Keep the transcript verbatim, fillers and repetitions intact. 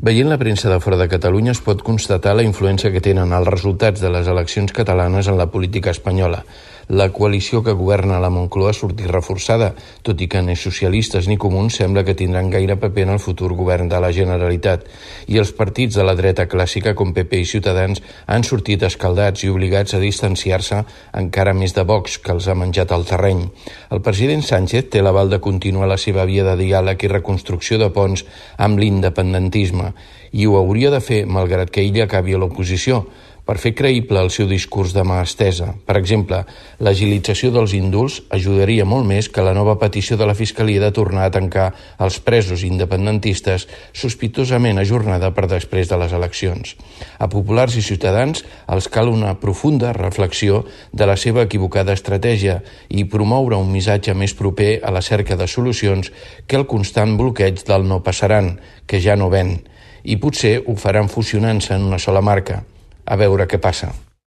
Veient la premsa de fora de Catalunya es pot constatar la influència que tenen els resultats de les eleccions catalanes en la política espanyola. La coalició que governa la Moncloa ha sortit reforçada, tot i que ni socialistes ni comuns sembla que tindran gaire paper en el futur govern de la Generalitat. I els partits de la dreta clàssica com P P i Ciutadans han sortit escaldats i obligats a distanciar-se encara més de Vox, que els ha menjat el terreny. El president Sánchez té l'aval de continuar la seva via de diàleg i reconstrucció de ponts amb l'independentisme, i ho hauria de fer malgrat que ell acabi a l'oposició, per fer creïble el seu discurs de mà estesa. Per exemple, l'agilització dels indults ajudaria molt més que la nova petició de la Fiscalia de tornar a tancar els presos independentistes sospitosament ajornada per després de les eleccions. A populars i ciutadans els cal una profunda reflexió de la seva equivocada estratègia i promoure un missatge més proper a la cerca de solucions que el constant bloqueig del no passaran, que ja no ven, i potser ho faran fusionant-se en una sola marca. A veure què passa.